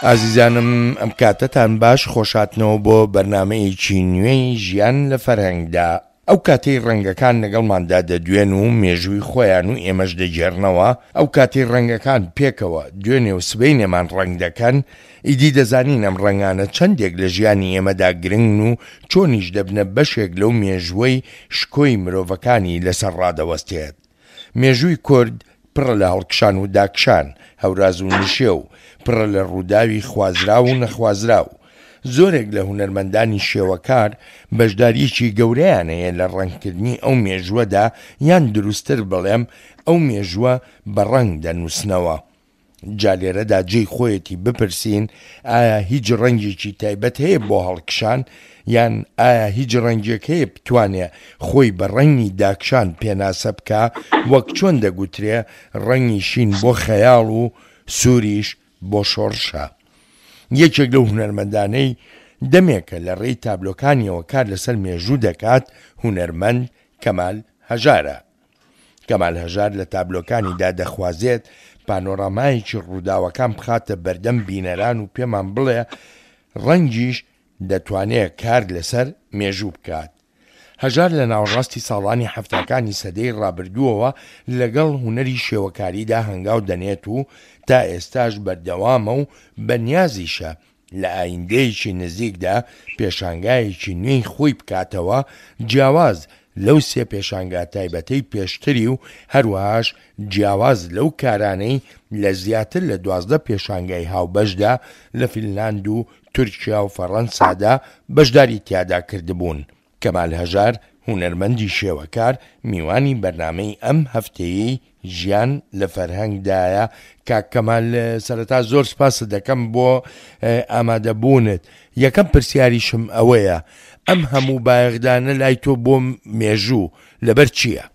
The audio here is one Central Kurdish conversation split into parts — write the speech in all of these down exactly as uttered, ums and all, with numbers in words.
ئازیزانم ئەم کاتەتان باش، خۆشاتنەوە بۆ بەرنامەیەکی نوێی ژیان لە فەرهەنگدا. ئەو کاتەی ڕەنگەکان لەگەڵماندا دەدوێن و مێژووی خۆیان و ئێمەش دەگێڕنەوە، ئەو کاتەی ڕەنگەکان پێکەوە دوێنێ و سبەینێمان ڕەنگ دەکەن، ئیدی دەزانین ئەم ڕەنگانە چەندێک لە ژیانی ئێمەدا گرنگن و چۆنیش دەبنە بەشێک لەو مێژووەی شکۆی مرۆڤەکانی لەسەر ڕادەوەستێت. مێژووی کورد پڕە لە هەڵکشان و داکشان، هەوراز و نشێو، پڕە لە ڕووداوی خوازراو و نەخوازراو. زۆرێک لە هونەرمەندانی شێوەکار بەشدارییەکی گەورەیان هەیە لە ڕەنگکردنی ئەو مێژووەدا، یان دروستتر بڵێم ئەو مێژووە بە ڕەنگ دەنووسنەوە. جا لێرەدا جێی خۆیەتی بپرسین ئایا هیچ ڕەنگێکی تایبەت هەیە بۆ هەڵکشان، یان ئایا هیچ ڕەنگێک هەیە بتوانێ خۆی بە ڕەنگی داکشان پێناسە بکا، وەک چۆن دەگوترێ ڕەنگی شین بۆ خەیاڵ و سووریش بۆ شۆڕشە. یەکێک لەو هونەرمەندانەی دەمێکە لە ڕێی تابلۆکانیەوە کار لەسەر مێژوو دەکات هونەرمەند کەمال هەژارە. کەمال هەژار لە تابلۆکانیدا دەخوازێت پانۆرامایەکی ڕووداوەکان بخاتە بەردەم بینەران و پێمان بڵێ ڕەنگیش دەتوانێت کار لەسەر مێژوو بکات. هەژار لە ناوەڕاستی ساڵانی حەفتاکانی سەدەی ڕابردووەوە لەگەڵ هونەری شێوەکاریدا هەنگاو دەنێت و تا ئێستاش بەردەوامە و بەنیازیشە لە ئایندەیەکی نزیکدا پێشانگایەکی نوێی خۆی بکاتەوە، جیاواز لەو سێ پێشانگا تایبەتەی پێشتری و هەروەهاش جیاواز لەو کارانەی لە زیاتر لە دوازدە پێشانگای هاوبەشدا لە فینلاند و تورکیا و فەڕەنسادا بەشداری تیادا کردبوون. کەمال هەژار، هونەرمەندی شێوەکار، میوانی بەرنامەی ئەم هەفتەیەی ژیان لە فەرهەنگدایە. کاک کەمال، سەرەتا زۆر سپاست دەکەم بۆ ئامادەبوونت. یەکەم پرسیاریشم ئەوەیە، ئەم هەموو بایەخدانە لای تۆ بۆ مێژوو لەبەر چییە؟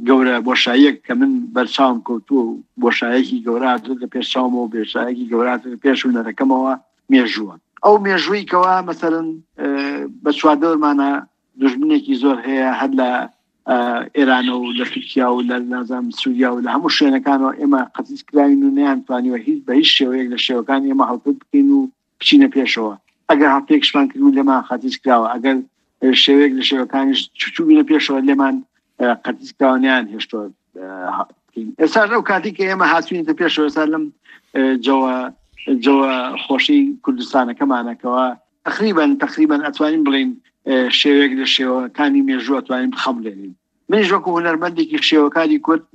گەورە بۆشاییەک کە من بەرچاوم کەوتووە و بۆشایەکی گەورە هاتووەتە پێش چاومەوە، بۆشایەکی گەورە هاتووەتە پێش هونەرەکەمەوە، مێژووە. ئەو مێژووی کەوا مەسەلەن بە چواردەورمانە دوژمنێکی زۆر هەیە، هەر لە ئێرانە و لە تورکیا و لە نازام سووریا و لە هەموو شوێنەکانەوە ئێمە قەتیس کراوین و نەیانتوانیوە هیچ بە هیچ شێوەیەک لە شێوەکان ئێمە هەڵپێک بکەین و بچینە پێشەوە. ئەگەر هەڵپێکشمان کرد و لێمان قەتیس کراوە، ئەگەر شێوەیەک لە شێوەکانیش چووبینە پێشەوە لێمان قەتیس کراوە، نیان هێشتووە بکەین. ئێستاش ئەو کاتی کە ئێمە هاتوینەتە پێشەوە، ئێستا لەم جەوە جەوە خۆشی کوردستانەکەمانەکەوە تقریبا تقریبا ئەتوانین بڵین شێوەیەک لە شێوەکانی مێژوو ئەتوانین بخەمڵێنین. منیش وەکو هونەرمەندێکی شێوەکاری کورد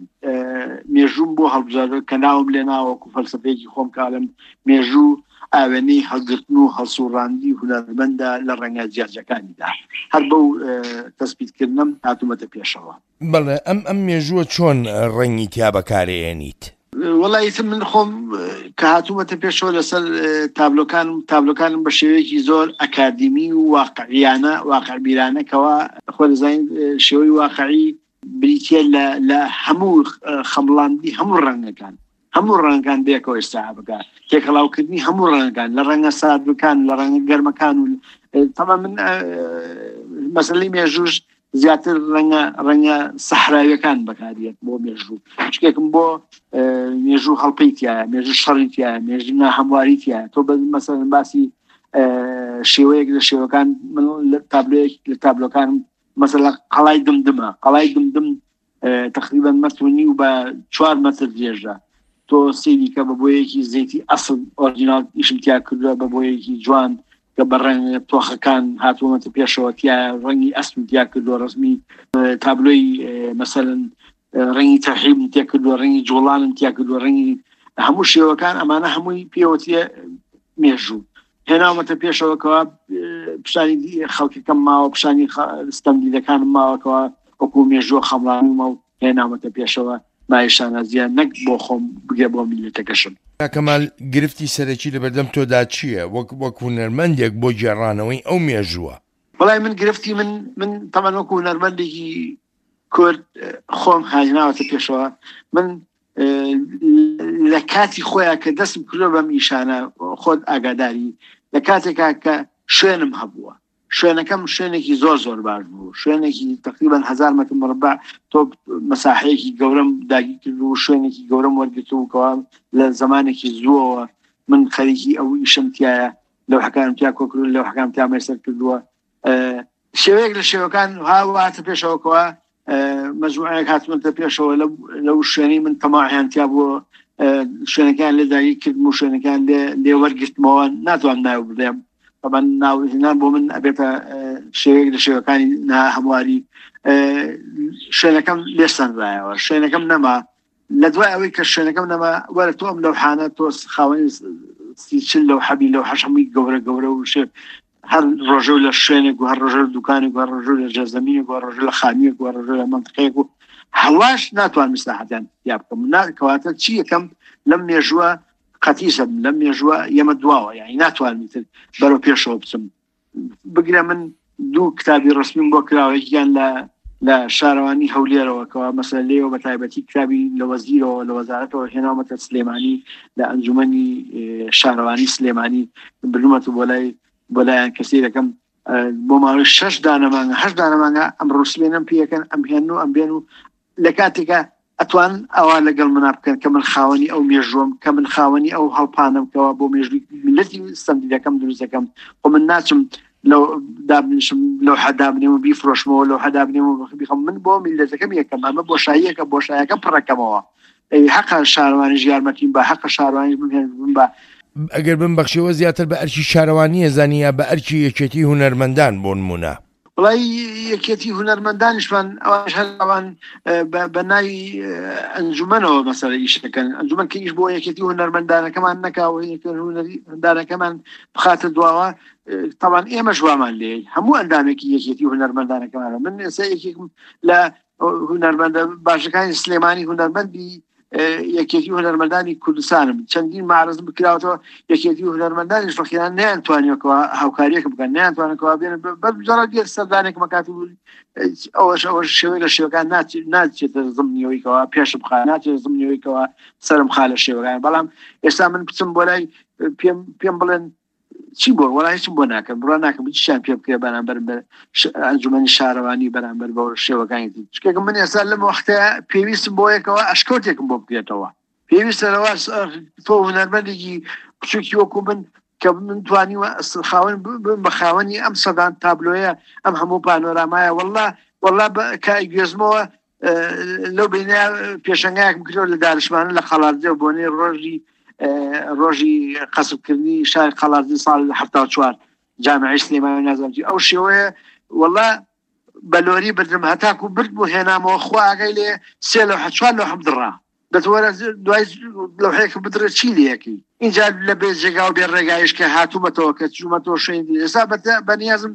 مێژووم بۆ هەڵبژاردووە کە ناوم لێناوە وەکو فەلسەفەیەکی خۆم کاڵم مێژوو ئاوێنەی هەڵگرتن و هەڵسوڕاندی هونەرمەندە لە ڕەنگە جیاجیاکانیدا. هەر بەو تەسبیتکردنم هاتوومەتە پێشەوە. بەڵێ، ئەم ئەم مێژووە چۆن ڕەنگی تیا بەکارێنیت؟ وەڵای ئیتر من خۆم کە هاتوومەتە پێشەوە لەسەر تابلۆکانم، تابلۆکانم بە شێوەیەکی زۆر ئەکادیمی و واقعیانە، واقعبیرانەکەوە خۆ دەزانین شێوەی واقعی بریتیە لە لە هەموو خەمڵاندنی هەموو ڕەنگەکان، هەموو ڕەنگەکان بێکەوە ئێستا بکە، تێکەڵاوکردنی هەموو ڕەنگەکان لە ڕەنگە ساردەکان، لە ڕەنگە گەرمەکان و تەبعاً من مەسەلەی مێژووش زیاتر ڕەنگە ڕەنگە سەحراویەکان بەکاریێت بۆ مێژوو، شتێکم بۆ مێژوو هەڵپەی تایە، مێژوو شەڕی تایە، مێژوو ناهەمواری تایە. تۆ بە مەسەلەن باسی شێوەیەک لە شێوەکان، من لە تابلۆیەک لە تابلۆکانم مەسەلەن قەڵای دمدمە، قەڵای دمدم تقریبا مەتر و نیو بە چوار مەتر درێژە. تۆ سەیری کە بە بۆیەکی زەیتی ئەسڵ ئۆرجیناڵ ئیشم تیا کردووە، بە بۆیەکی جوان کە بە ڕەنگ تۆخەکان هاتوومەتە پێشەوە تیا ڕەنگی ئەسم تیا کردووە، ڕەسمی تابلۆی مەسەلەن ڕەنگی تەرحیبم تیا کردووە، ڕەنگی جوڵانم تیا کردووە، ڕەنگی هەموو شێوەکان، ئەمانە هەمووی پێوەتیە مێژوو هێناومەتە پێشەوەکەوە. پیشانی خەڵکەکەم ماوە، پیشانی ستەمدیدەکانم ماوەکەوە وەکو مێژووە خەمڵانیمە و هێناومەتە پێشەوە. مای شانازیە نەک بۆ خۆم بگێ بۆ میللەتەکەشم. کەمال، گرفتی سەرەکی لەبەردەم تۆدا چییە وەک وەک هونەرمەندێک بۆ گێڕانەوەی ئەو مێژووە؟ وەڵای من گرفتی من من تەبعاً وەکو هونەرمەندێکی کورد خۆم هاژناوەتە پێشەوە. من لە کاتی خۆیان کە دەستم کردووە بەم ئیشانە، خۆت ئاگاداری، لە کاتێکا کە شوێنم هەبووە، شوێنەکەم شوێنێکی زۆر زۆر باش بوو، شوێنێکی تقریبا هەزار مەتر مربع، تۆ مەساحەیەکی گەورەم داگیر کرد و شوێنێکی گەورەم وەرگرت و کەوا لە زمانێکی زووەوە من خەریکی ئەو ئیشم تایە، لەوحەکانم تیا کۆکردووە، لەوحەکانم تیا مەیسەر کردووە. شێوەیەک لە شێوەکان هاتە پێشەوەکەوە، مەجموعەیەک هاتمەتە پێشەوە لەو شوێنەی من تەماحیان تیا بووە، شوێنەکان لێ داگیر کردم و شوێنەکان لێ وەرگرتمەوە، ناتوانم ناو بڵێم. طبعا ناوهێنان بۆ من ئەبێتە شێوەیەک لە شێوەکانی ناهەمواری. شوێنەکەم لێسەنرایەوە، شوێنەکەم نەما. لە دوای ئەوەی کە شوێنەکەم نەما، وەرە تۆ ئەم لەوحانە تۆ خاوەنی سی چل لەوحەبی، لەوحەش هەمووی گەورە گەورە و شێ هەر ڕۆژە لە شوێنێک و هەر ڕۆژە لە دوکانێک و هەر ڕۆژە لە ژێرزەمینێک و هەر ڕۆژە لە خانوویەک و هەر ڕۆژە لە مەنتقەیەک و هەواش ناتوانم ئیسلاحاتیان تیا بکەم. کەواتە چی یەکەم لەم مێژووە قەتیسم، لەم مێژووە ئێمە دواوە، یعنی ناتوانم ئیتر بەرەو پێشەوە بچم. بگرە من دوو کتابی ڕسمیم بۆ کراوە، یەکیان لە لە شارەوانی هەولێرەوە کەوا مەسەلەن لێوە بە تایبەتی کتابی لە وەزیرەوە لە وەزارەتەوە هێناومەتە سلێمانی، لە ئەنجومەنی شارەوانی سلێمانی بردومەتە بۆ لای بۆ لایەن کەسی دەکەم بۆ ماوەی شەش دانەمانگە هەشت دانەمانگە ئەم ڕووسلێنم پێیەکەن، ئەم هێن و ئەم بێن و لە کاتێکە ئەتوان ئەوە لەگەڵ منا بکەن کە من خاوەنی ئەو مێژوەم، کە من خاوەنی ئەو هەڵپانم کەوا بۆ مێژووی میللەتی ستەمدیدەکەم دروست دەکەم. خۆ من ناچم لەو دابنیشم لەو حەدابنێم و بیفرۆشمەوە، لەو حەدابنێم و بیخەم. من بۆ میللەتەکەم یەکەم، ئەمە بۆشاییەکە، بۆشایەکە پڕەکەمەوە. ئەی حەقە شارەوانیش یارمەتیم بە، حەقە شارەوانیش بمهێنم بە. ئەگەر بمبەخشیەوە زیاتر بە ئەرکی شارەوانیە زانی یا بە ئەرکی یەکێتی هونەرمەندان بۆ نمونە؟ وڵی یەکێتی هونەرمەندانیشمان ئەوانش هەر ئەوان بە ناوی ئەنجومەنەوە مەسەلە ئیش دەکەن. ئەنجومەن کە ئیش بۆ یەکێتی هونەرمەندانەکەمان نەکا و هونەرمەندانەکەمان بخاتە دواوە، طبعا ئێمەش وامان لێ هەموو ئەندامێکی یەکێتی هونەرمەندانەکەمانە. من ئێستا یەکێکم لە هونەرمەندە باشەکانی سلێمانی، هونەرمەندی یەکێتی هونەرمەندانی کوردستانم، چەندین معرضم بکراوەتەوە. یەکێتی هونەرمەندانیش ڕەخیان نەیانتوانیەکەوە هاوکاریەکە بکەن، نەیانتوانەکەوە بێن بەجارە بێت سەردانێک مەکات و ئەوەش ئەوەش شێوەی لە شێوەکان ناچێتە زمنیەوەیکەوە پێش بخا، ناچێتە زمنیەوەیکەوە سەرم خا لە شێوەکان. بەڵام ئێستا من بچم بۆ لای پێم پێم بڵێن چی بۆ، وەڵا هیچم بۆ ناکەم، بڕوا ناکەم هیچیان پێ بکرێ بەرامبەر بە ئەنجومەنی شارەوانی، بەرامبەر بە شێوەکانی تر. چونکە من ئێستا لەم وەختە پێویستم بۆ یەکەوە ئەشکەوتێکم بۆ بکرێتەوە. پێویستە لەوە تۆ هونەرمەندێکی بچووکی وەکو من کە من توانیوە خاوەن بم بە خاوەنی ئەم سەدان تابلۆیە، ئەم هەموو پانۆرامایە، وەڵا وەڵا کە گوێزمەوە لەو بینە پێشەنگایەکم کردەوە لە دارشمانە لە قەڵادزێ و بۆنەی ڕۆژی ڕۆژی قەسبکردنی شاری قەڵادزێ ساڵ حەفتا و چوار جامعی سلێمانی نازانم چی ئەو شێوەیە. وەڵا بە لۆری بردم هەتاکو برد بۆ هێنامەوە، خوا ئاگای لێ سێ لەوحە چوار لەوحەم دڕا. دەتوەرە دوای لەوحەیەکە بدڕێ چی لێیەکەی؟ اینجا لە بێ جێگا و بێ ڕێگایش کە هاتوومەتەوە، کە چوومەتەوە شوێنی تر. ئێستا بەنیازم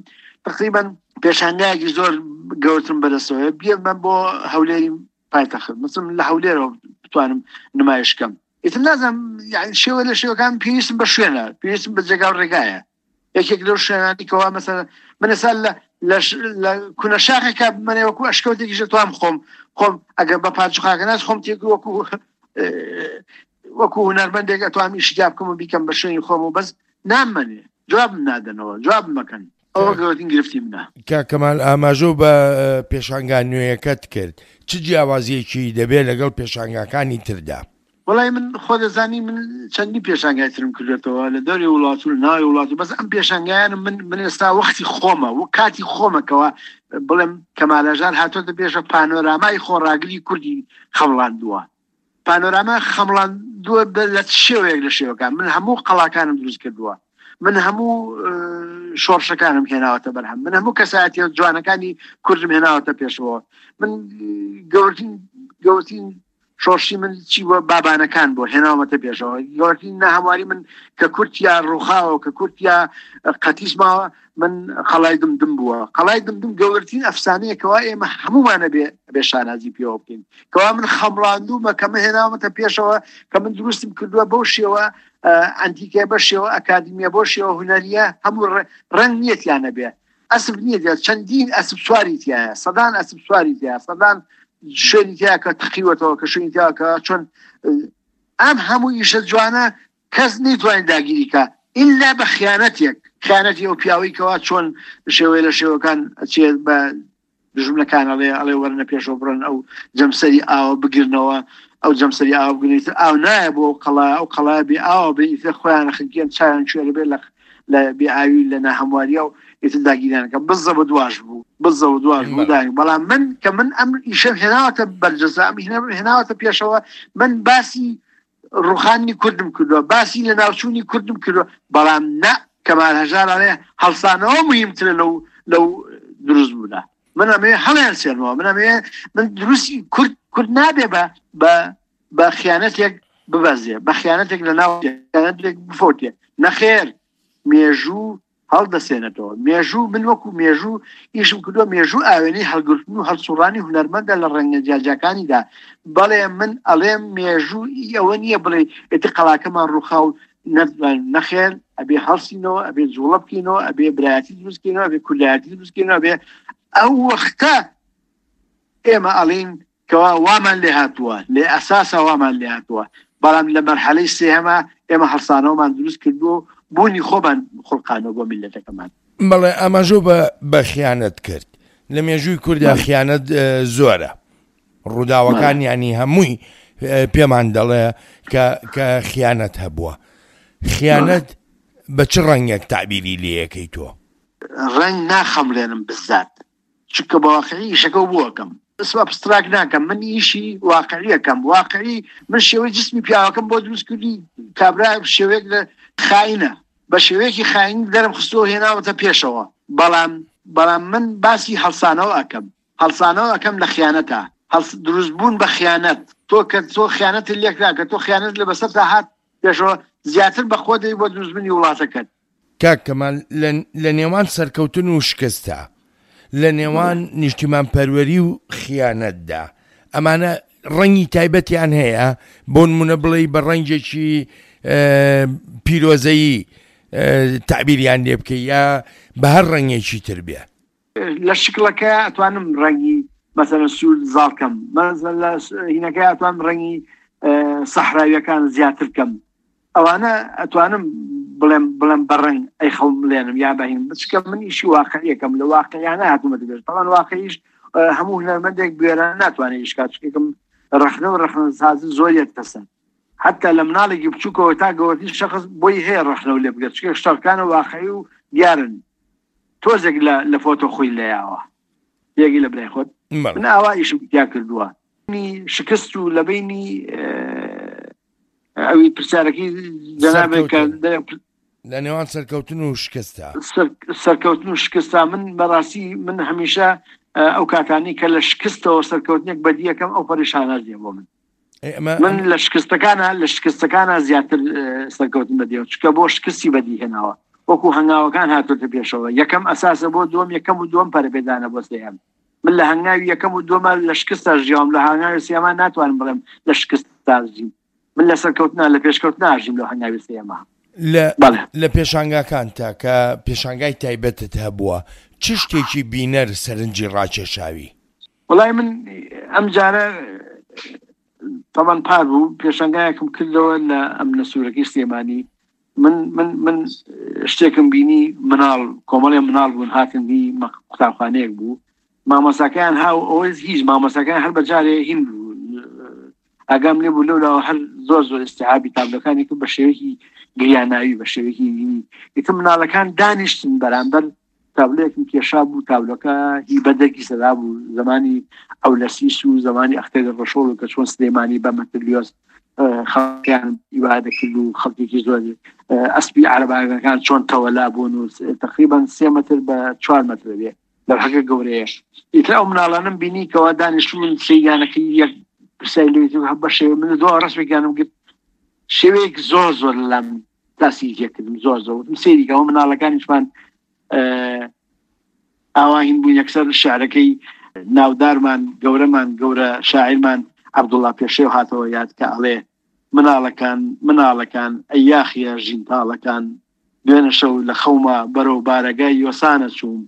تقریبا پێشانگایەکی زۆر گەورترم بەدەستەوە بێمە بۆ هەولێری پایتەخت، مثلم لە هەولێرەوە بتوانم نمایش کەم. ئیتر نازانم، یعنی شێوە لە شێوەکان پێویستم بە شوێنە، پێویستم بە جێگا و ڕێگایە. یەکێک لەو شوێنانی کەوا مەسەلەن من ئێستا لە لە کونە شاخێکا بمەنێ وەکو ئەشکەوتێکیش دەتوانم خۆم خۆم ئەگەر بە پارچ خاکەناس خۆم تێک وەکو وەکو هونەرمەندێک ئەتوانم ئیشی تیا بکەم و بیکەم بە شوێنی خۆم و بەس نامەنێ، جوابم نادەنەوە، جوابم مەکەن. ئەوە گەورەترین گرفتی منە. کاک کەمال، ئاماژە بە پێشانگا نوێیەکەت کرد، چ جیاوازیەکی دەبێت لەگەڵ پێشانگاکانی تردا؟ وەڵای من خۆ دەزانی من چەندین پێشانگای ترم کردێتەوە لە دەوری وڵات و لە ناوی وڵات و بەس ئەم پێشانگایانم من من ئێستا وەختی خۆمە و کاتی خۆمەکەوە بڵێم کەمال هەژار هاتۆتە پێشە پانۆرامای خۆڕاگری کوردی خەمڵاندووە. پانۆراما خەمڵاندووە لە شێوەیەک لە شێوەکان. من هەموو قەڵاکانم دروست کردووە، من هەموو شۆڕشەکانم هێناوەتە بەرهەم، من هەموو کەسایەتیە جوانەکانی کوردم هێناوەتە پێشەوە. من گەورەترین گەورەترین شۆڕشی من چی بووە؟ بابانەکان بۆ هێناومەتە پێشەوە. گەورەترین ناهەمواری من کە کورتیا ڕووخاوە، کە کورتیا قەتیس ماوە، من قەڵای دمدم بووە. قەڵای دمدم گەورەترین ئەفسانەیەکەوە ئێمە هەمومانە بێ بێ شانازی پێوە بکەین، کەوا من خەمڵاندوومە، کە من هێناومەتە پێشەوە، کە من دروستم کردووە بەو شێوە ئەنتیکە، بە شێوە ئەکادیمیە، بۆ شێوە هونەریە، هەموو ڕەنگ نیەتیانە بێ، ئەسب نییە، چەندین ئەسب سواری تایە، سەدان ئەسب سواری تایە، سەدان شوێنی تایە کە تەقیوەتەوە، کە شوێنی تایە کە چۆن ئەم هەموو ئیشە جوانە کەس نەیتوانێت داگیری کە ئللا بە خیانەتێک، خیانەتی ئەو پیاوەی کەوا چۆن شێوەیە لە شێوەکان ئەچێت بە دوژمنەکان ئەڵێ ئەڵێ وەرنە پێشەوە بڕۆن ئەو جەمسەری ئاوە بگرنەوە، ئەو جەمسەری ئاوە بگرن، ئیتر ئاو نایە بۆ ئەو قەڵا، ئەو قەڵا بێ ئاوە بێ، ئیتر خۆیان خنکێن چاویان کوێرە بێ لە لە بێ ئاوی لە ناهەمواریە و ئیتر داگیرانەکە بزە بە دواش بوو، بزە و دواش بوو داگیر. بەڵام من کە من ئەم ئیشەم هێناوەتە بەرجەسە، ئەم هێناوەتە پێشەوە، من باسی ڕوخانی کوردم کردووە، باسی لە ناوچوونی کوردم کردووە، بەڵام نە کەمال هەژار ئەڵێ هەڵسانەوە مهمترە لەو لەو دروست بوونە. من ئەمێ هەڵیان سێنەوە، من ئەمێ من دروستی کورد کورد نابێ بە بە بە خیانەتێک ببەزێ، بە خیانەتێک لە ناو خیانەتێک بفەوتێ. نەخێر، مێژوو هەڵدەسێنێتەوە. مێژوو من وەکو مێژوو ئیشم کردووە، مێژوو ئاوێنەی هەڵگرتن و هەڵسوڕانی هونەرمەندە لە ڕەنگە جیاجیاکانیدا. بەڵێ من ئەڵێم مێژوو ئەوە نییە بڵێ ئێتر قەڵاکەمان ڕووخا و نەخێر، ئەبێ هەڵسینەوە، ئەبێ جوڵە بکەینەوە، ئەبێ برایەتی دروست بکەینەوە، ئەبێ کوردایەتی دروست بکەینەوە، ئەبێ ئەو وەختە ئێمە ئەڵین کەوا وامان لێ هاتووە، لێ ئەساسە وامان لێ هاتووە. بەڵام لە مەرحەلەی سێهەمە ئێمە هەڵسانەوەمان دروست کردووە، بوونی خۆمان خوڵقانەوە بۆ میللەتەکەمان. بەڵێ ئاماژۆ بە بە خیانەت کرد. لە مێژووی کووردا خیانەت زۆرە، ڕووداوەکان ینی هەمووی پێمان دەڵێ کە کە خیانەت هەبووە. خیانەت بە چ ڕەنگێک تعبیری لێیەکەی تۆ؟ ڕەنگ ناخەملێنم بزات، چونکە بە واقعی ئیشەکە بووەکەم، ئەبستراک ناکەم، من ئیشی واقعیەکەم. واقعی من شێوەی جسمی پیاوەکەم بۆ دروست کردی، کابرا شێوەیەک لە خاینە، بە شێوەیەکی خاین دەرم خستووە هێناوەتە پێشەوە. بەڵام بەڵام من باسی هەڵسانەوە ئەکەم، هەڵسانەوە ئەکەم لە خیانەتە، دروست بوون بە خیانەت. تۆ کە تۆ خیانەت لێکرا، کە تۆ خیانەت لە بەسەرتا هات پێشەوە، زیاتر بە خۆ دەی بۆ دروستبوونی وڵاتەکەت. کاک کەمال، لە نێوان سەرکەوتن و شکستە، لە نێوان نیشتیمان پەروەری و خیانەتدا، ئەمانە ڕەنگی تایبەتیان هەیە؟ بۆ نمونە بڵێ بە ڕەنگێکی پیرۆزەیی تعبیریان لێ بکەی یا بە هەر ڕەنگێکی تر بێ؟ لە شکڵەکە ئەتوانم ڕەنگی مەسەلەن سوور زاڵکەم، مەسەلەن لە هینەکە ئەتوانم ڕەنگی سەحراویەکان زیاتر بکەم. ئەوانە ئەتوانم بڵێم بڵێم بە ڕەنگ ئەی خەڵملێنم یا بەهین، بچکە من ئیشی واقعیەکەم، لە واقعیانە هاتوومەتە پێش. بەڵام واقعیش هەموو هونەرمەندێک بوێرانە ناتوانێت ئیش کات، چونکە ڕەخنە و ڕەخنەسازی زۆریەک تەسەر. حتی لە مناڵێکی بچووکەوە تا گەورەترین شەخص بۆی هەیە ڕەخنە و لێ بگرێت، چونکە شتەکانە واقعی و دیارن. تۆزێک لە فۆتۆ خۆی لەیاوە یەکی لە برای خۆت. من ئاوا ئیشم تیا کردووە. شکست و لە بینی ئەوی پرسیارەکەی جەنابێک کە لە نێوان سەرکەوتن و شکستا. سەرکەوتن و شکستا، من بەڕاستی من هەمیشە ئەو کاتانی کە لە شکستەوە سەرکەوتنێک بەدیەکەم ئەو پەریشانازیە بۆ من. من لە شکستەکانە لە شکستەکانە زیاتر سەرکەوتن بەدیەوە، چونکە بۆ شکستی بەدی هێناوە، وەکو هەنگاوەکان هاتۆتە پێشەوە. یەکەم ئەساسە بۆ دووەم، یەکەم و دووەم پەرەپێدانە بۆ سێهەم. من لە هەنگاوی یەکەم و دووەمە لە شکستا ژیاوم، لە هەنگاوی سێهەما ناتوانم بڵێم لە شکستا ژیم. من لە سەرکەوتنا لە پێشکەوتنا ژیم لە هەنگاوی سێهەما. لە پێشانگاکان تا کە پێشانگای تایبەتت هەبووە، چ شتێکی بینەر سەرنجی ڕاکێشاوی؟ وەڵای من ئەم جارە تەمان پار بوو پێشانگایەکم کردەوە لە ئەمنە سوورەکەی سلێمانی. من من من شتێکم بینی، مناڵ کۆمەڵێ مناڵ بوون، هاتن بی قوتابخانەیەک بوو، مامۆساکەیان هاو ئەوەی هیچ مامۆساکەیان هەر بەجارێ هین بوو، ئاگام لێ بوو لەولاوە هەر زۆر زۆر ئیستیعابی تابلۆکانی کرد بە شێوەیەکی گریاناوی، بە شێوەیەکی هینی. ئیتر مناڵەکان دانیشتن بەرامبەر تابلۆیەکم کێشا بوو، تابلۆکە هی بەدەرکی سەدا بوو، زمانی ئەولەسیس و زمانی ئەختەری ڕەشۆڵ و کە چۆن سلێمانی بە مەتریۆس خەڵکیان ئیوادە کرد و خەڵکێکی زۆر ئەسپی عەرەبانەکان چۆن تەوەلا بوون و تقریبا سێ مەتر بە چوار مەتر بێ لەوحەکە گەورەیە. ئیتر ئەو مناڵانم بینی کەوا دانیشتون سەیرانەکەی یەک پرسیاری لێ کرد، هەر بە شێوە من دوو ڕەسمێکیانم گرت، شێوەیەک زۆر زۆر لەلام تاسیری تێکردم، زۆر زۆر وتم سەیری کە ئەو مناڵەکانیشمان ئاواهین بوون. یەکسەر شعرەکەی ناودارمان گەورەمان گەورە شاعیرمان عەبدوڵڵا پێشێو هاتەوە یاد کە ئەڵێ مناڵەکان مناڵەکان ئەی یاخیە ژینتاڵەکان، دوێنە شەو لە خەوما بەرەو بارەگای یۆسانە چووم،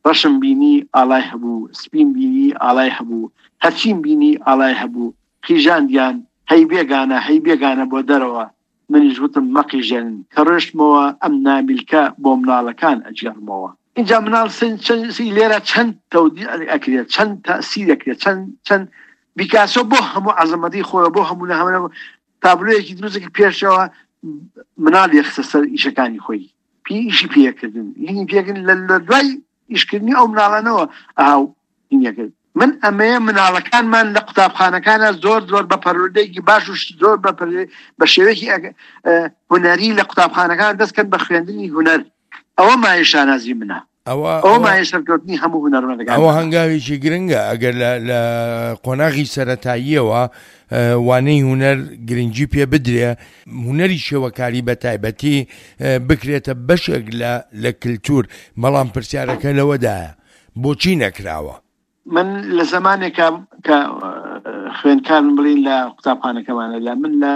ڕەشم بینی ئاڵای هەبوو، سپیم بینی ئاڵای هەبوو، هەرچیم بینی ئاڵای هەبوو، قیژاندیان هەی بێگانە هەی بێگانە بۆ دەرەوە، منیش وتم مەقیژێنن، کە ڕۆشتمەوە ئەم نامیلکە بۆ مناڵەکان ئەگێڕمەوە. اینجا مناڵ لێرە چەند تەودیع ئەکرێت، چەند تەسیر ئەکرێت، چەند چەند بیکاسۆ بۆ هەموو عەزەمەتی خۆی، بۆ هەموو هەموو تابلۆیەکی دروستێکی پێشەوە مناڵ یەخستە سەر ئیشەکانی خۆی، پێ ئیشی پێکردن، هینی پێکردن لە دوای ئیشکردنی ئەو مناڵانەوە ئاو هینیەکرد. من ئەمەیە مناڵەکانمان لە قوتابخانەکانە زۆر زۆر بە پەروەردەیەکی باش و زۆر بە شێوەیەکی هونەری لە قوتابخانەکان دەستکەن بە خوێندنی هونەر. ئەوە مایە شانازی منە، ئەوە مایە سەرکەوتنی هەموو هونەرمەندەکان. ئەوە هەنگاوێکی گرنگە ئەگەر لە قۆناغی سەرەتاییەوە وانەی هونەر گرنگی پێ بدرێ، هونەری شێوەکاری بە تایبەتی بکرێتە بەشێک لە کللتور. بەڵام پرسیارەکە لەوەدایە بۆچی نەکراوە؟ من لە زمانێکە کە خوێندکارم بڵین لە قوتابخانەکەمانە، لە من لە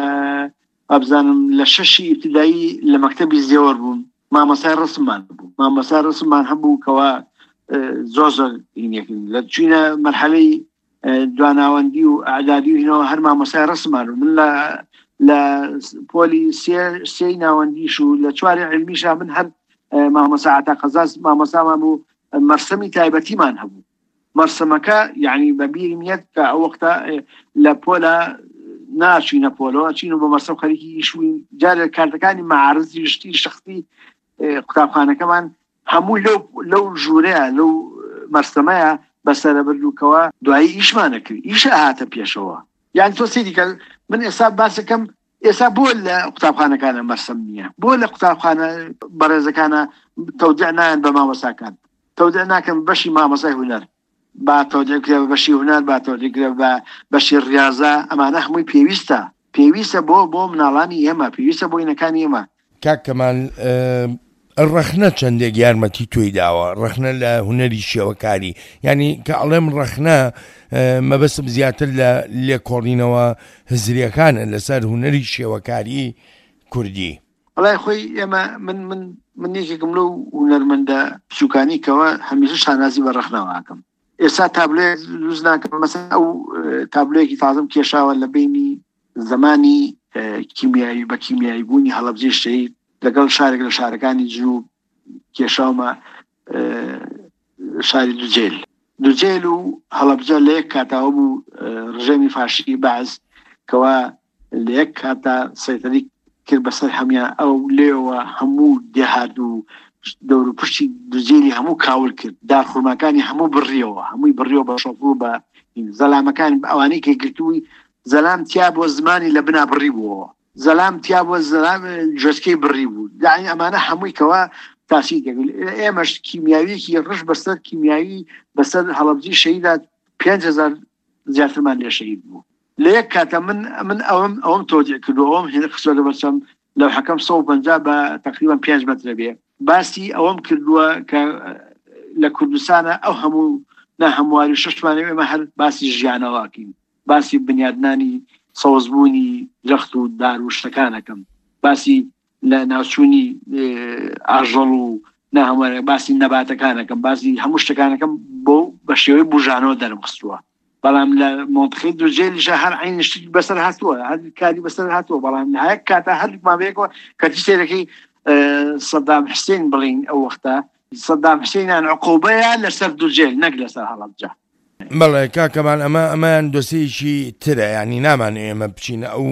ئابزانم لە شەشی ئیبتیدایی لە مەکتەبی زێوەر بووم، مامۆستای ڕسممان بوو، مامۆستای ڕسممان هەبوو کەوا زۆر زۆر هینێکردن. لە چوینە مەرحەلەی دواناوەندی و ئەعدادی و هینەوە هەر مامۆستای ڕسممان بوو. من لە لە پۆلی سێی ناوەندیش و لە چواری عیلمیشا من هەر مامۆستا عەتا قەزاز مامۆستامان بوو، مەرسەمی تایبەتیمان هەبوو. مەرسەمەکە یعنی بە بیرم یەت کە ئەو وەختە لە پۆلە ناچینە پۆلەوە، چین و بە مەرسەم خەریکی ئیش بووین. جارێک کارتەکانی مەعارزی شتی شەخسی قوتابخانەکەمان هەموو لەو لەو ژوورەیە لەو مەرسەمەیە بەسەرە بردووکەوە دوایی ئیشمانە کرد، ئیشە هاتە پێشەوە. یعنی تۆ سەیری کە من ئێستا باسەکەم ئێستا بۆ لە قوتابخانەکانە مەرسەم نییە، بۆ لە قوتابخانە بەڕێزەکانە تەودیع نایەن بە مامۆستاکان، تەودیع ناکەن بەشی مامۆستای هونەر، با تەودیع کرێ بە بەشی هونەر، با تەودیع کرێ بە بەشی ڕیاضە. ئەمانە هەمووی پێویستە، پێویستە بۆ بۆ مناڵانی ئێمە، پێویستە بۆ ئینەکانی ئێمە. کاک کەمال، ڕەخنە چەندێک یارمەتی تۆی داوە؟ ڕەخنە لە هونەری شێوەکاری، یعنی کە ئەڵێم ڕەخنە مەبەستم زیاتر لە لێکۆڵینەوە هزریەکانە لەسەر هونەری شێوەکاری کوردی. وەڵای خۆی ئێمە من من من یەکێکم لەو هونەرمەندە بچووکانی کەوە هەمیشە شانازی بە ڕەخنەوە ئەکەم. ئێستا تابلۆیەک دروست ناکەم، مەسەن ئەو تابلۆیەکی تازم کێشاوە لە بینی زمانی کیمیایی بە کیمیایی بوونی هەڵەبجەی شەهید لەگەڵ شارێک لە شارەکانی جنوب کێشاومە، شاری دوجێل. دوجێل و هەڵەبجە لە یەک کاتاوە بوو ڕژێمی فاشی بەعس کەوا لە یەک کاتا سەیتەری کرد بەسەر هەمیان، ئەو لێوە هەموو دێهات و دەور و پشتی دوجێلی هەموو کاول کرد، دارخورماکانی هەموو بڕیەوە، هەمووی بڕیەوە بە شۆفڵ و بە زەلامەکان ئەوانەی کە گرتووی زەلام تیا بۆ زمانی لە بنا بڕی بووەوە، زەلام تیا بۆ زەلام جۆسکەی بڕی بوو. یعنی ئەمانە هەمووی کەوا تاسیر دەکرد. ئێمەش کیمیاویەکی ڕژ بەسەر کیمیاوی بەسەر هەڵەبجەی شەهیدا پێنج هەزار زیاترمان لێ شەهید بوو لە یەک کاتە. من من ئەوم ئەوم تۆجیع کردو، ئەوم هێنە خستووە لە بەرچەم لەوحەکەم سەد و پەنجا بە تقریبا پێنج مەترە بێ. باسی ئەوەم کردووە کە لە کوردستانە ئەو هەموو ناهەمواری شەشمانەوە ئێمە هەر باسی ژیانەوەکەین، باسی بنیادنانی سەوزبوونی درەخت و دار و شتەکانەکەم، باسی لە ناوچوونی ئاژەڵ و ناهەموارە، باسی نەباتەکانەکەم، باسی هەموو شتەکانەکەم بۆ بە شێوەی بژانەوە دەرم خستووە. بەڵام لە مۆنتخی دوجێلیشە هەر عین شتێکی بەسەر هاتووە، هەر کاری بەسەر هاتووە. بەڵام لە هەر کاتە هەردووکمان بەیەکەوە کەچی سەیرەکەی سەدام حوسێن بڵین ئەو وەختە سەدام حوسێنیان عقوبەیە لەسەر دوجێل نەک لەسەر هەڵەبجە. بەڵێ کاکەمان، ئەمە ئەمەیان دۆسیەکی ترە، ینی نامان ئێمە بچینە ئەو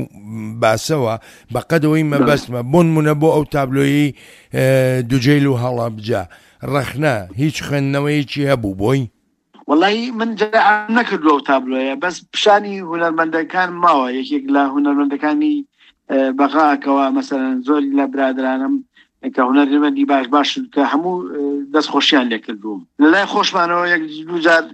باسەوە بەقەدەوەی مەبەستمە. بۆ نمونە بۆ ئەو تابلۆیی دوجێل و هەڵەبجە ڕەخنە هیچ خوێندنەوەیەکی هەبوو بۆی؟ وەڵی من جاران نەکردووە ئەو تابلۆیە، بەس پیشانی هونەرمەندەکان ماوە. یەکێک لە هونەرمەندەکانی بەغاکەوە مەسەلەن زۆر لە برادرانم کە هونەرمەندی باش باش کە هەموو دەست خۆشیان لێکردووم. لەلای خۆشمانەوە یەک دوو جار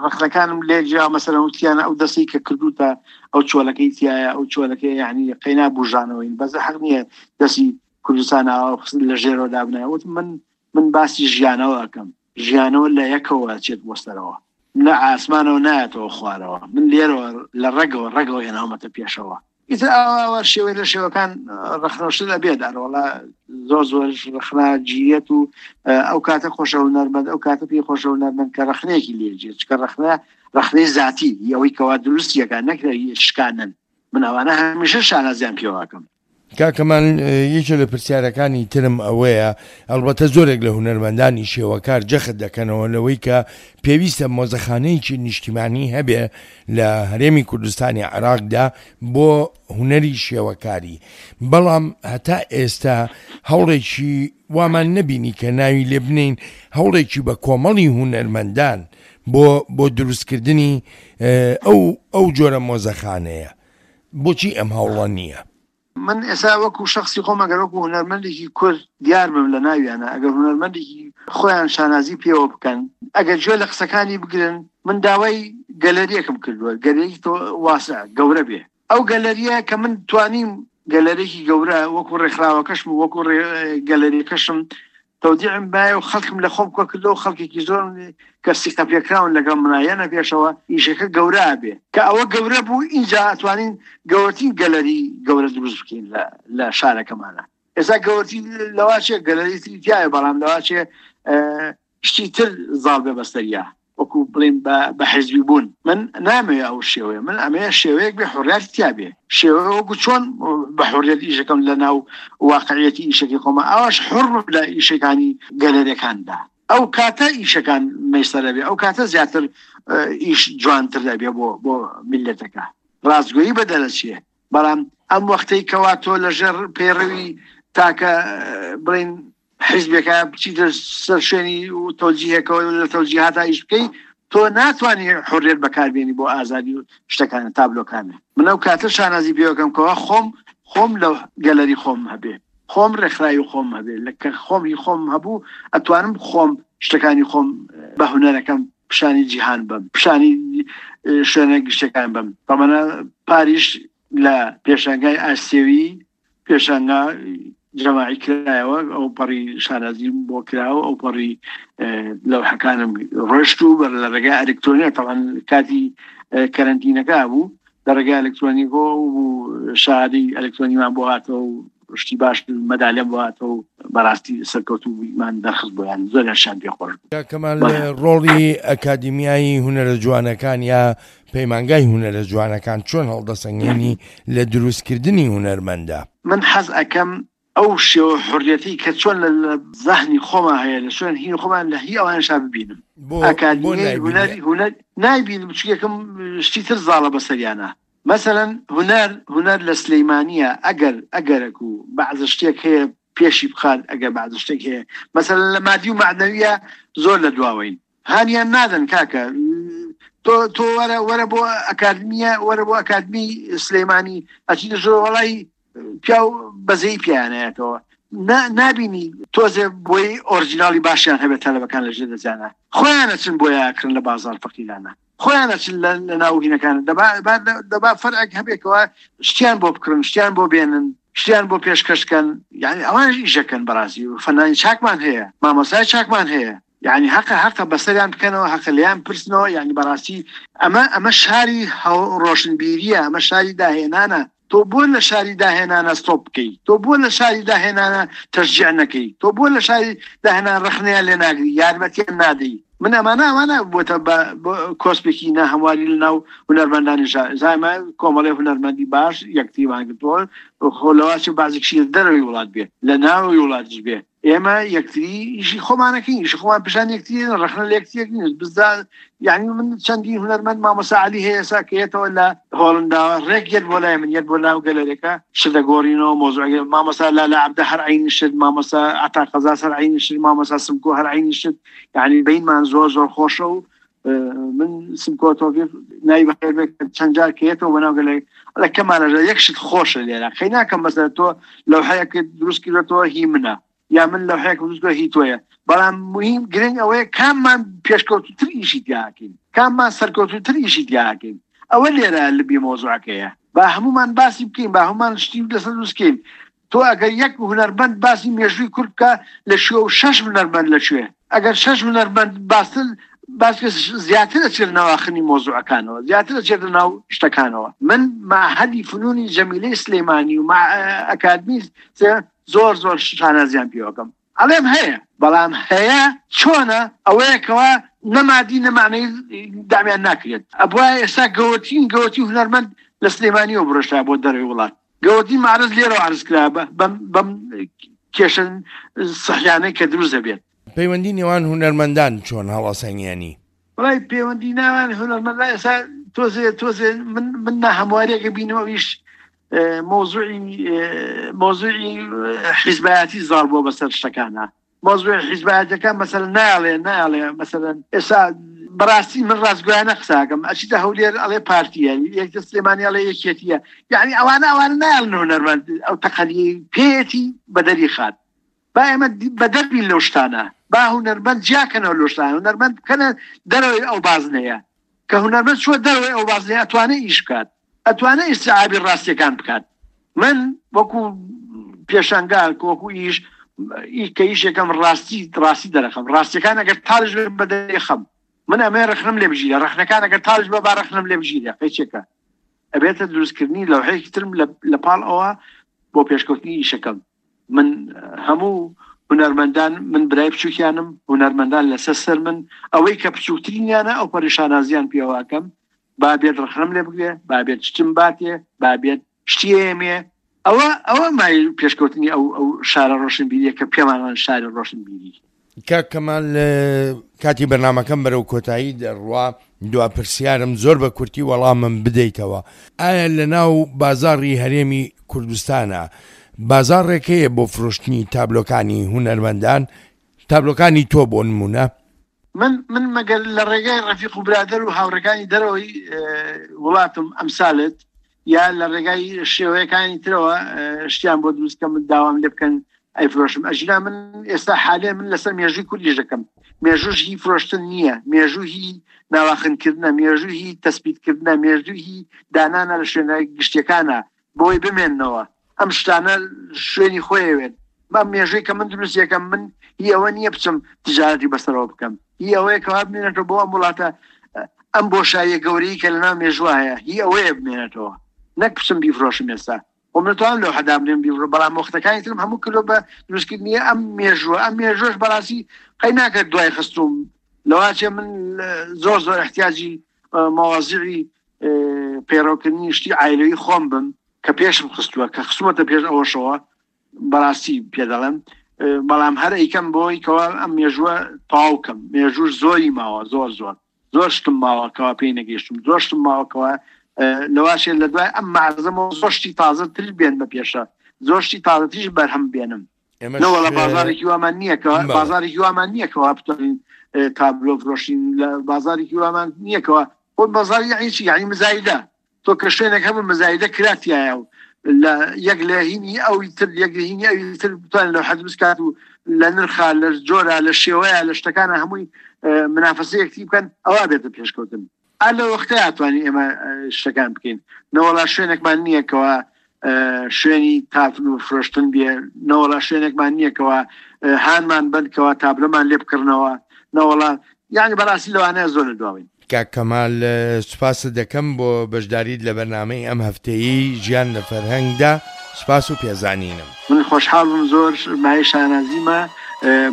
ڕەخنەکانم لێ جیا، مەسەلەن وتیانە ئەو دەستی کە کردووتە ئەو چۆلەکەی تایە، ئەو چۆلەکەی یعنی قەینا بژانەوەین، بەس حەق نییە دەستی کوردستان ئاوا لە ژێرەوە دابنایە. وتم من من باسی ژیانەوە ئەکەم، ژیانەوە لە یەکەوە چێت بۆ سەرەوە، لە ئاسمانەوە نایەتەوە خوارەوە، من لێرەوە لە ڕێگەوە ڕێگەوە هێناومەتە پێشەوە. ئیتر ئاوا شێوەی لە شێوەکان ڕەخنەوشت ئەبێت. ئەرۆڵا زۆر زۆر ڕەخنە گیرێت و ئەو کاتە خۆشە هونەرمەند، ئەو کاتە پێی خۆشە هونەرمەند کە ڕەخنەیەکی لێجێت، چکە ڕەخنە ڕەخنەی ذاتی ئەوەی کەوا دروستیەکە نەکرێت شکانن. من ئەوانە هەمیشە شانازیان پێواکەم. کاک کەمال، یەکێ لە پرسیارەکانی ترم ئەوەیە، ئەڵبەتە زۆرێک لە هونەرمەندانی شێوەکار جەخت دەکەنەوە لەوەی کە پێویستە مۆزەخانەیەکی نیشتیمانی هەبێ لە هەرێمی کوردستانی عێراقدا بۆ هونەری شێوەکاری، بەڵام هەتا ئێستا هەوڵێکی وامان نەبینی کە ناوی لێ بنێین هەوڵێکی بە کۆمەڵی هونەرمەندان بۆ بۆ دروستکردنی ئەو ئەو جۆرە مۆزەخانەیە. بۆچی ئەم هەوڵە نییە؟ من ئێستا وەکو شخصی خۆم ئەگەر وەکو هونەرمەندێکی کورد دیار بم لە ناویانە، ئەگەر هونەرمەندێکی خۆیان شانازی پێوە بکەن، ئەگەر گوێ لە قسەکانی بگرن، من داوای گەلەریەکم کردووە، گەلەری واسع گەورە بێ. ئەو گەلەریە کە من توانیم گەلەرێکی گەورە وەکو ڕێکخراوەکەشم و وەکو گەلەریەکەشم تەودیعم بایە و خەڵکم لە خۆم کۆ کردەوە، خەڵکێکی زۆر کە سیقە پێکراون لەگەڵ منایەنە پێشەوە، ئیشەکە گەورە بێ. کە ئەوە گەورە بوو ئینجا ئەتوانین گەورەترین گەلەری گەورە دروست بکەین لە شارەکەمانە. ئێستا گەورەترین لەواچێ گەلەری تری تایە، بەڵام لەواچێ شتی تر زاڵ بێ بەسەریا، وەکو بڵێن بە حیزبی بوون. من نامەوێ ئەو شێوەیە، من ئەمەیە شێوەیەک بێ حڕیەت تیا بێ، شێوەیە وەکو چۆن بە حڕیەت ئیشەکەم لە ناو واقعیەتی ئیشەکەی خۆمە، ئەوەش حڕ لە ئیشەکانی گەلەریەکاندا. ئەو کاتە ئیشەکان مەیسەرە بێ، ئەو کاتە زیاتر ئیش جوانتر دەبێ بۆ بۆ میللەتەکە، ڕاستگۆیی بەدەرەچێ. بەڵام ئەم وەختەی کەوا تۆ لەژێر پەیڕەوی تاکە بڵێن حیزبێکە بچیتە سەر شوێنی تەوجیهێکەوە لە تەوجیهاتا ئیش بکەی، تۆ ناتوانی حڕیەت بەکاربێنی بۆ ئازادی و شتەکانە تابلۆکانە. من ئەو کاتە شانازی پێوەکەم کەوا خۆم خۆم لە گەلەری خۆم هەبێ، خۆم ڕێکخراوی خۆم هەبێ، لە کە خۆم هی خۆم هەبوو ئەتوانم خۆم شتەکانی خۆم بە هونەرەکەم پیشانی جیهان بم، پیشانی شوێنە گشتەکان بم. بەمانە پاریش لە پێشانگای ئاسیەوی پێشانگا جەماعی کرایەوە، ئەو پەڕی شانازیم بۆ کراوە، ئەو پەڕی لەوحەکانم ڕۆشت و بەر لە ڕێگای ئەلکترۆنیە، تەوان کاتی کەرەنتینەکە بوو، لە ڕێگای ئەلکترۆنیکۆ و شادی ئەلکترۆنیمان بۆ هاتەوە و شتی باش مەدالێم بۆ هاتەوە و بەڕاستی سەرکەوتوومان دەرخست بۆیان، زۆریان شان پێخۆش بوو. کاک کەمال، ڕۆڵی ئەکادیمیای هونەرە جوانەکان یا پەیمانگای هونەرە جوانەکان چۆن هەڵدەسەنگێنی لە دروستکردنی هونەرمەندە؟ من حەز ئەکەم ئەو شێوە حڕیەتی کە چۆن لە زەهنی خۆما هەیە، لە شوێن هی خۆمان لە هی ئەوانشا ببینم. ئەکادیمیای هونەر هونەر نایبینم، چونکە شتی تر زاڵە بەسەریانە. مثلا هونەر هونەر لە سلەیمانیە ئەگەر ئەگەرەک و بەعزە شتێک هەیە پێشی بخات، ئەگەر بەعزە شتێک هەیە مثلا لە مادی و معنەویە زۆر لە دواوەین، هانیان نادەن کاکە. تۆ تۆ وەرە وەرە بۆ ئەکادمیە، وەرە بۆ ئەکادمی سلەیمانی ئەچیتە زۆر وەڵای پیاو بەزەی پیانەیەتەوە، نابینی تۆزێ بۆی ئۆریجینالی باشیان هەبێت تەلەبەکان لە ژێر دەزیانە، خۆیان ئەچن بۆیە ئەکڕن لە بازار فەقیرانە، خۆیان ئەچن لە ناو هینەکان. دەبا فەرعێک هەبێکەوە شتیان بۆ بکڕن، شتیان بۆ بێنن، شتیان بۆ پێشکەشکەن. یعنی ئەوان ئیشەکەن بەڕاستی. فەنانی چاکمان هەیە، مامۆستای چاکمان هەیە، یعنی حەقە حەقە بەسەریان بکەنەوە، حەقە لێیان پرسنەوە. یعنی بەڕاستی ئەمە ئەمە شاری ڕۆشنبیریە، ئەمە شاری داهێنانە. تۆ بۆ لە شاری داهێنانە ستۆپ بکەی، تۆ بۆ لە شاری داهێنانە تەشجیع نەکەی، تۆ بۆ لە شاری داهێنان ڕەخنەیان لێ ناگری، یارمەتیان نادەی. من ئەمانە ئەمانە بۆتە بە کۆسپێکی ناهەمواری لەناو هونەرمەندانی شار. زایمە کۆمەڵی هونەرمەندی باش یەکتریمان گرتووە، خۆ لەواچێ بازێکشی لە دەرەوەی وڵات بێ، لە ناوەوەی وڵاتیش بێ، ئێمە یەکتری ئیشی خۆمانەکەین، ئیشی خۆمان پیشان یەکتری، ڕەخنە لە یەکتریەک نین. بزا یعنی من چەندین هونەرمەند مامۆستا عەلی هەیە ئێستا کە یەتەوە لە هۆڵنداوە، ڕێک یەت بۆ لای من، یەت بۆ ناو گەلەرێکە، شت دەگۆڕینەوە مۆزوعەکە. مامۆستا لالا عەبدە هەر عەینی شت، مامۆستا عەتا قەزاز هەر عەینی شت، مامۆستا سمکۆ هەر عەینی شت. یعنی بینمان زۆر زۆر خۆشە و من سمکۆ تۆفیق ناوی بەخێر بێت چەند جار کە یەتەوە بۆ ناو گەلەرێک، ئەڵێ کەمالە یەک شت خۆشە لێرە، خەی ناکەم مەسەلەن تۆ لەوحەیەکت دروست کردوەتەوە هی منە، یا من لەوحەیەکم دروست کردووە هی تۆیە، بەڵام مهم گرنگ ئەوەیە کاممان پێشکەوتوتر ئیشی تیاکەین، کاممان سەرکەوتوتر ئیشی تیاکەین. ئەوە لێرە لبی مۆزوعەکەیە. با هەمومان باسی بکەین، با هەمومان شتی لەسەر دروست بکەین. تۆ ئەگەر یەک هونەرمەند باسی مێژووی کورد بکە لە شوێ و شەش هونەرمەند لە کوێ، ئەگەر شەش هونەرمەند باستر باس زیاتر ئەچێت ناواخنی مۆزوعەکانەوە، زیاتر ئەچێت ناو شتەکانەوە. من معهدی فنونی جەمیلەی سلەیمانی و ئەکادمی زۆر زۆر شانازیان پێوەکەم. ئەڵێم هەیە، بەڵام هەیە چۆنە ئەوەیەکەوە نەمادی نەمانەی دامیان ناکرێت. ئەبوایە ئێستا گەورەترین گەورەترین هونەرمەند لە سلەیمانیەوە بڕۆشتا بۆ دەرەوەی وڵات، گەورەترین مەعرەز لێرەوە عەرز کرا بەم بەم کێشە سەحیانەی کە دروست دەبێت. پەیوەندی نێوان هونەرمەندان چۆن هەڵەسەنگێنی؟ وەڵای پەیوەندی نێوان هونەرمەندان ئێستا تۆزێ تۆزێ من من ناهەمواریەکە بینم، ئەویش مۆزوعی مۆزوعی حیزبایەتی زاڵ بووە بەسەر شتەکانە. مۆزوعی حیزبایەتەکە مەسەلەن نایڵێ نایڵێ مەسەلەن ئێستا بەڕاستی من ڕاستگۆیانە قساکەم، ئەچیتە هەولێر ئەڵێ پارتیە، یەکتە سلێمانی ئەڵێ یەکێتیە، یعنی ئەوانە ئەوانە نایڵن هونەرمەند ئەو تەقەلیەی پێیەتی بەدەری خات. با ئێمە بەدەر بین لەو شتانە، با هونەرمەند جیاکەنەوە لەو شتانە، هونەرمەند بکەنە دەرەوەی ئەو بازنەیە. کە هونەرمەند چووە دەرەوەی ئەو بازنەیە ئەتوانێ ئیش بکات، ئەتوانێ ئیستیعابی ڕاستیەکان بکات. من وەکو پێشانگا وەکو ئیش کە ئیشێکەم ڕاستی ڕاستی دەرەخەم، ڕاستیەکان ئەگەر تاڵش بێت بەدەری خەم، من ئەمەیە ڕەخنەم لێ بگیرە، ڕەخنەکان ئەگەر تاڵش بە با ڕەخنەم لێ بگیرە، قەیچێکە ئەبێتە دروستکردنی لەوحەیەکی ترم لە پاڵ ئەوە بۆ پێشکەوتنی ئیشەکەم. من هەموو هونەرمەندان، من برای بچووکیانم، هونەرمەندان لەسەر سەر من، ئەوەی کە بچووکترینیانە ئەو پەریشانازیان پێواکەم، با بێت ڕەخنەم لێ بگرێ، با بێت شتم باتێ، با بێت شتی ئێمێ. ئەوە ئەوە مای پێشکەوتنی ئەو ئەو شارە ڕۆشنبیریە کە پێمانوان شاری ڕۆشنبیری. کاک کەمال، کاتی بەرنامەکەم بەرەو کۆتایی دەڕوا، دوا پرسیارم زۆر بە کورتی وەڵامم بدەیتەوە. ئایا لە ناو بازاڕی هەرێمی کوردستانە بازاڕێک هەیە بۆ فرۆشتنی تابلۆکانی هونەرمەندان، تابلۆکانی تۆ بۆ نمونە؟ من من مەگەر لە ڕێگای ڕەفیق و برادەر و هاوڕێکانی دەرەوەی وڵاتم ئەمسالت یا لە ڕێگای شێوەیەکانی ترەوە شتیان بۆ دروست کەم داوام لێ بکەن ئەیفرۆشم. ئەژینا من ئێستا حالێ من لەسەر مێژووی کوردیش دەکەم. مێژووش هی فرۆشتن نییە، مێژوو هی ناواخنکردنە، مێژوو هی تەسبیتکردنە، مێژوو هی دانانە لە شوێنە گشتیەکانە بۆی بمێننەوە. ئەم شتانە شوێنی خۆیەوێت. ئەم مێژووی کە من دروست یەکەم، من هی ئەوە نییە بچم تجارەتی بەسەرەوە بکەم، هی ئەوەیە کەوا بمێنێتەوە بۆ ئەم وڵاتە، ئەم بۆشاییە گەورەی کە لەناو مێژووە هەیە هی ئەوەیە بمێنێتەوە، نەک بچم بیفرۆشم ئێستا. خۆ من توانم لەو حەدا بنێم بیفرۆ، بەڵام وەختەکانی ترم هەموو کردووە بە دروستکردنی ئەم مێژووە. ئەم مێژوەش بەڕاستی قەی ناکرد دوای خستوم، لەواچێ من زۆر زۆر احتیاجی مەوازیعی پەیڕەوکردنی شتی عایلەوی خۆم بم کە پێشم خستووە، کە خستومەتە پێش ئەوەشەوە بەڕاستی پێ دەڵێم. بەڵام هەر ئەیکەم بۆی کەوا ئەم مێژووە تەواو کەم. مێژووش زۆری ماوە، زۆر زۆر زۆر شتم ماوە کەوا پێی نەگەیشتم، زۆر شتم ماوە کەوا لەواشێ لە دوای ئەم مەعرەزەمەوە زۆر شتی تازەتر بێن بە پێشە، زۆر شتی تازەتریش بەرهەم بێنم. نەوەڵە بازارێکی وامان نییە کە بازارێکی وامان نییە کەوا بتوانین تابلۆ فرۆشین، لە بازارێکی وامان نییە کەوا خۆ بازاری یعنی چی؟ یعنی مزایدە. تۆ کە شوێنێک هەبوو مزایدە کراتیایە و لە یەک لە هینی ئەوی تر، یەک لە هینی ئەوی تر بتوانین لەو حەد بکات و لە نرخا، لە جۆرە، لە شێوەیە، لە شتەکانە هەمووی منافەسەیەکتی بکەن، ئەوە بێتە پێشکەوتن. ئا لە وەختەیە ئەتوانین ئێمە شتەکان بکەین. نەوەڵا شوێنێکمان نییە کەوا شوێنی تابلۆ فرۆشتن بێ، نەوەڵا شوێنێکمان نییە کەوا هانمان بند کەوا تابلۆمان لێ بکڕنەوە، نەوەڵا یعنی بەڕاستی لەوانەیە زۆر لە دواوین. کاک کەمال، سوپاست دەکەم بۆ بەشداریت لە بەرنامەی ئەم هەفتەیەی ژیان لە فەرهەنگدا. سوپاس و پێزانینم. من خۆشحاڵ بووم، زۆر مایەی شانازیمە.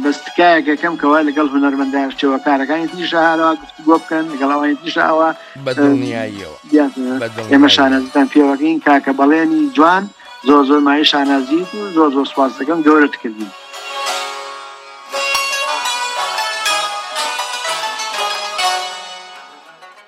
بەس تکایەکەکەم کەوا لەگەڵ هونەرمەندان شێوەکارەکانی تریشە هەروا گفتوگۆ بکەن، لەگەڵ ئەوانی تریشە ئەوە بەدڵنیاییەوە. ئێمە شانازیتان پێوەکەین کاکە بەڵێنی جوان، زۆر زۆر مایەی شانازیت و زۆر زۆر سوپاس دەکەم، گەورەت کردین.